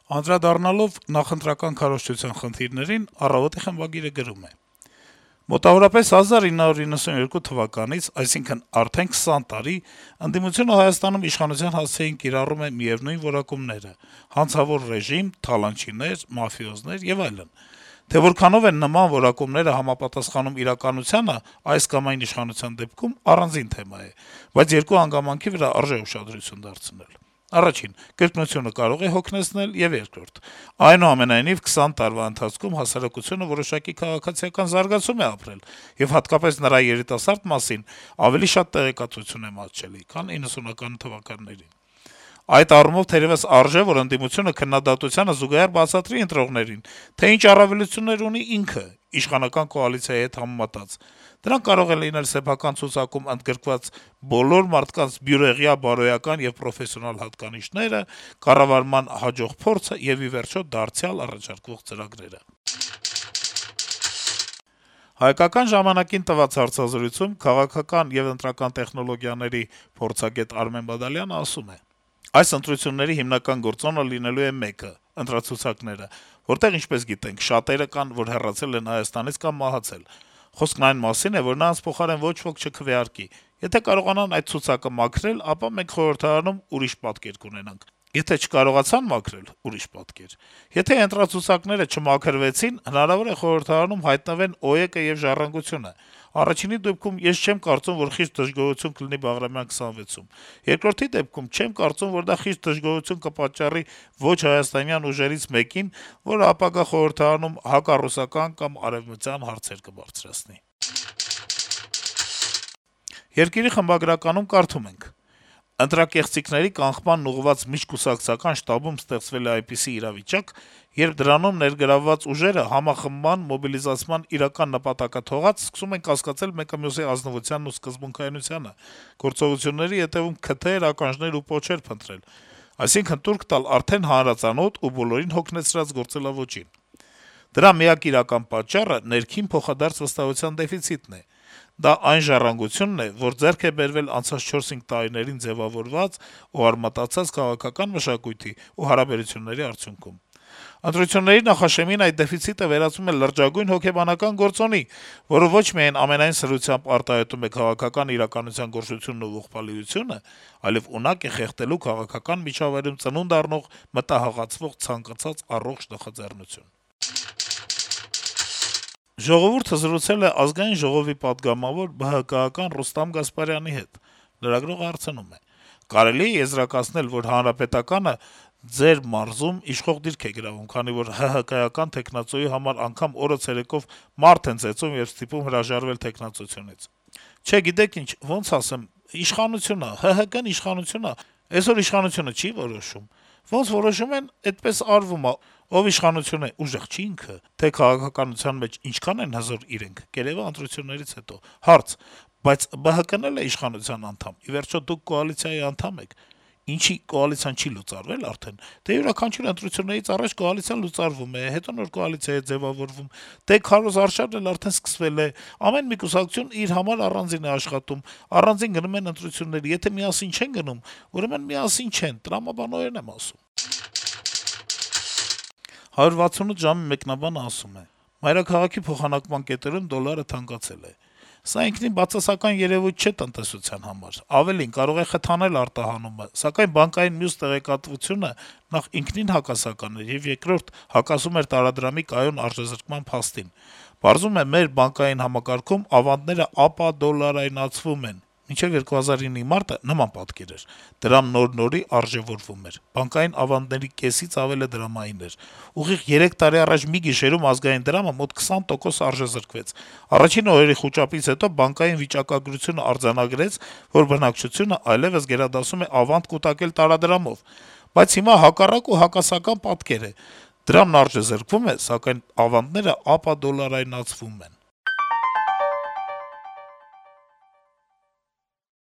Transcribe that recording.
Անդրադառնալով նախընտրական քարոզչության խնդիրներին, «Առավոտ»-ի խմբագիրը գրում է. - «Մոտավորապես 1992 թվականից, այսինքն արդեն 20 տարի, ընդդիմությունը Հայաստանում իշխանության հասցեին կիրառում է միեւնույն որակումները՝ հանցավոր ռեժիմ, թալանչիներ, մաֆիոզներ եւ այլն: Թե որքանով են նման որակումները համապատասխանում իրականությանը այս կամ այն իշխանության դեպքում, առանձին թեմա է, բայց երկու հանգամանքի վրա արժե ուշադրություն դարձնել: Առաջին՝ կրկնությունը կարող է հոգնեցնել, եւ երկրորդ՝ այնուամենայնիվ 20 տարվա ընթացքում հասարակությունը որոշակի քաղաքացիական զարգացում է ապրել, եւ հատկապես նրա երիտասարդ մասին ավելի շատ տեղեկատվություն է մատչելի, քան 90-ական թվականներին: Այդ առումով թերեւս արժե, որ ընդդիմությունը քննադատությանը զուգահեռ բացատրի ընտրողներին, թե ինչ առավելություններ ունի ինքը՝ իշխանական կոալիցիայի հետ համեմատած: Դրանք կարող են լինել սեփական ցուցակում ընդգրկված բոլոր մարդկանց բյուրեղյա բարոյական եւ պրոֆեսիոնալ հատկանիշները, կառավարման հաջող փորձը եւ, ի վերջո, դարձյալ առաջարկվող ծրագրերը»: «Հայկական ժամանակ»-ին տված հարցազրույցում քաղաքական եւ ընտրական տեխնոլոգիաների փորձագետ Արմեն Բադալյանը ասում է. - «Այս ընտրությունների հիմնական գործոնը լինելու է մեկը` ընտրացուցակները, որտեղ, ինչպես գիտենք, շատերը կան, որ հեռացել են Հայաստանից կամ մահացել: Խոսքն այն մասին է, որ նրանց փոխարեն ոչ ոք չքվեարկի: Եթե կարողանան այդ ցուցակը մաքրել, ապա մենք խորհրդարանում ուրիշ պատկեր կունենանք: Եթե չկարողացան մաքրել` ուրիշ պատկեր: Եթե ընտրացուցակները չմաքրվեցին, հնարավոր է խորհրդարանում հայտնվեն ՕԵԿ-ը եւ «Ժառանգությունը»: Առաջինի դեպքում ես չեմ կարծում, որ խիստ դժգոհություն կլինի Բաղրամյան 26-ում: Երկրորդի դեպքում չեմ կարծում, որ դա խիստ դժգոհություն կպատճառի ոչ հայաստանյան ուժերից մեկին, որը ապագա խորհրդարանում հակառուսական կամ արեւմտյան հարցեր կբարձրացնի»: «Երկիր»-ի խմբագրականում կարդում ենք. - «Ընտրակեղծիքների կանխմանն ուղղված միջկուսակցական շտաբում ստեղծվել է այնպիսի իրավիճակ, երբ դրանում ներգրավված ուժերը համախմբման, մոբիլիզացման իրական նպատակը թողած, սկսում են կասկածել մեկը մյուսի ազնվությանն ու սկզբունքայնությանը, գործողությունների հետեւում քթեր, ականջներ ու պոչեր փնտրել: Այսինքն` տուրք տալ արդեն հանրածանոթ ու բոլորին հոգնեցրած գործելաոճին: Դրա միակ իրական պատճառը ներքին փոխադարձ վստահության դեֆիցիտն է: Դա այն ժառանգությունն է, որ ձեռք է բերվել անցած 4-5 տարիներին ձեւավորված ու արմատացած քաղաքական մշակույթի ու հարաբերությունների արդյունքում: Ընտրությունների նախաշեմին այդ դեֆիցիտը վերածվում է լրջագույն հոգեբանական գործոնի, որը ոչ միայն ամենայն սրությամբ արտահայտում է քաղաքական իրականության գորշությունն ու ողբալիությունը, այլեւ ունակ է խեղդելու քաղաքական միջավայրում ծնունդ առնող մտահղացվող ցանկացած առողջ նախաձեռնություն»: «Ժողովուրդ»-ը զրուցել է Ազգային ժողովի պատգամավոր, ԲՀԿ-ական Ռուստամ Գասպարյանի հետ: Լրագրողը հարցնում է. - «Կարելի՞ է եզրակացնել, որ Հանրապետականը ձեր մարզում իշխող դիրք է գրավում, քանի որ ՀՀԿ-ական թեկնածուի համար անգամ օրը ցերեկով մարդ են ծեծում եւ ստիպում հրաժարվել թեկնածությունից»: «Չէ, գիտեք ինչ, ոնց ասեմ, իշխանություն ա, ՀՀԿ-ն իշխանություն ա, էսօր իշխանությունը չի որոշում: Ոնց որոշում են, էդպես արվում ա: Ով իշխանություն է, ուժեղ չի ինքը: Թե քաղաքականության մեջ ինչքան են հզոր իրենք, կերեւա ընտրություններից հետո»: Հարց. - «Բայց ԲՀԿ-ն էլ է իշխանության անդամ: Ի վերջո, դուք կոալիցիայի անդամ եք: Ինչի՞ կոալիցիան չի լուծարվել արդեն: Դե յուրաքանչյուր ընտրություններից առաջ կոալիցիան լուծարվում է, հետո նոր կոալիցիա է ձեւավորվում: Դե քարոզարշավն էլ արդեն սկսվել է: Ամեն մի կուսակցություն իր համար առանձին է աշխատում, առանձին գնում են ընտրությունների: Եթե միասին չեն գնում, ուրեմն միասին չեն, տրամաբանորեն եմ ասում»: «168 ժամ»-ի մեկնաբանը ասում է. - «Մայրաքաղաքի փոխանակման կետերում դոլարը թանկացել է: Սա ինքնին բացասական երեւույթ չէ տնտեսության համար: Ավելին, կարող է խթանել արտահանումը, սակայն բանկային մյուս տեղեկատվությունը նախ ինքնին հակասական էր, եւ երկրորդ՝ հակասում էր տարադրամի կայուն արժեզրկման փաստին: Պարզվում է՝ մեր բանկային համակարգում ավանդները ապադոլարայնացվում են: Մինչեւ 2009-ի մարտը նման պատկեր էր. դրամն նոր-նորի արժեւորվում էր, բանկային ավանդների կեսից ավելը դրամային էր: Ուղիղ 3 տարի առաջ մի գիշերում ազգային դրամը մոտ 20% արժեզրկվեց: Առաջին օրերի խուճապից հետո բանկային վիճակագրությունը արձանագրեց, որ բնակչությունը այլեւս գերադասում է ավանդ կուտակել տարադրամով: Բայց հիմա հակառակ ու հակասական պատկեր է. դրամն արժեզրկվում է, սակայն ավանդները ապադոլարայնացվում են»: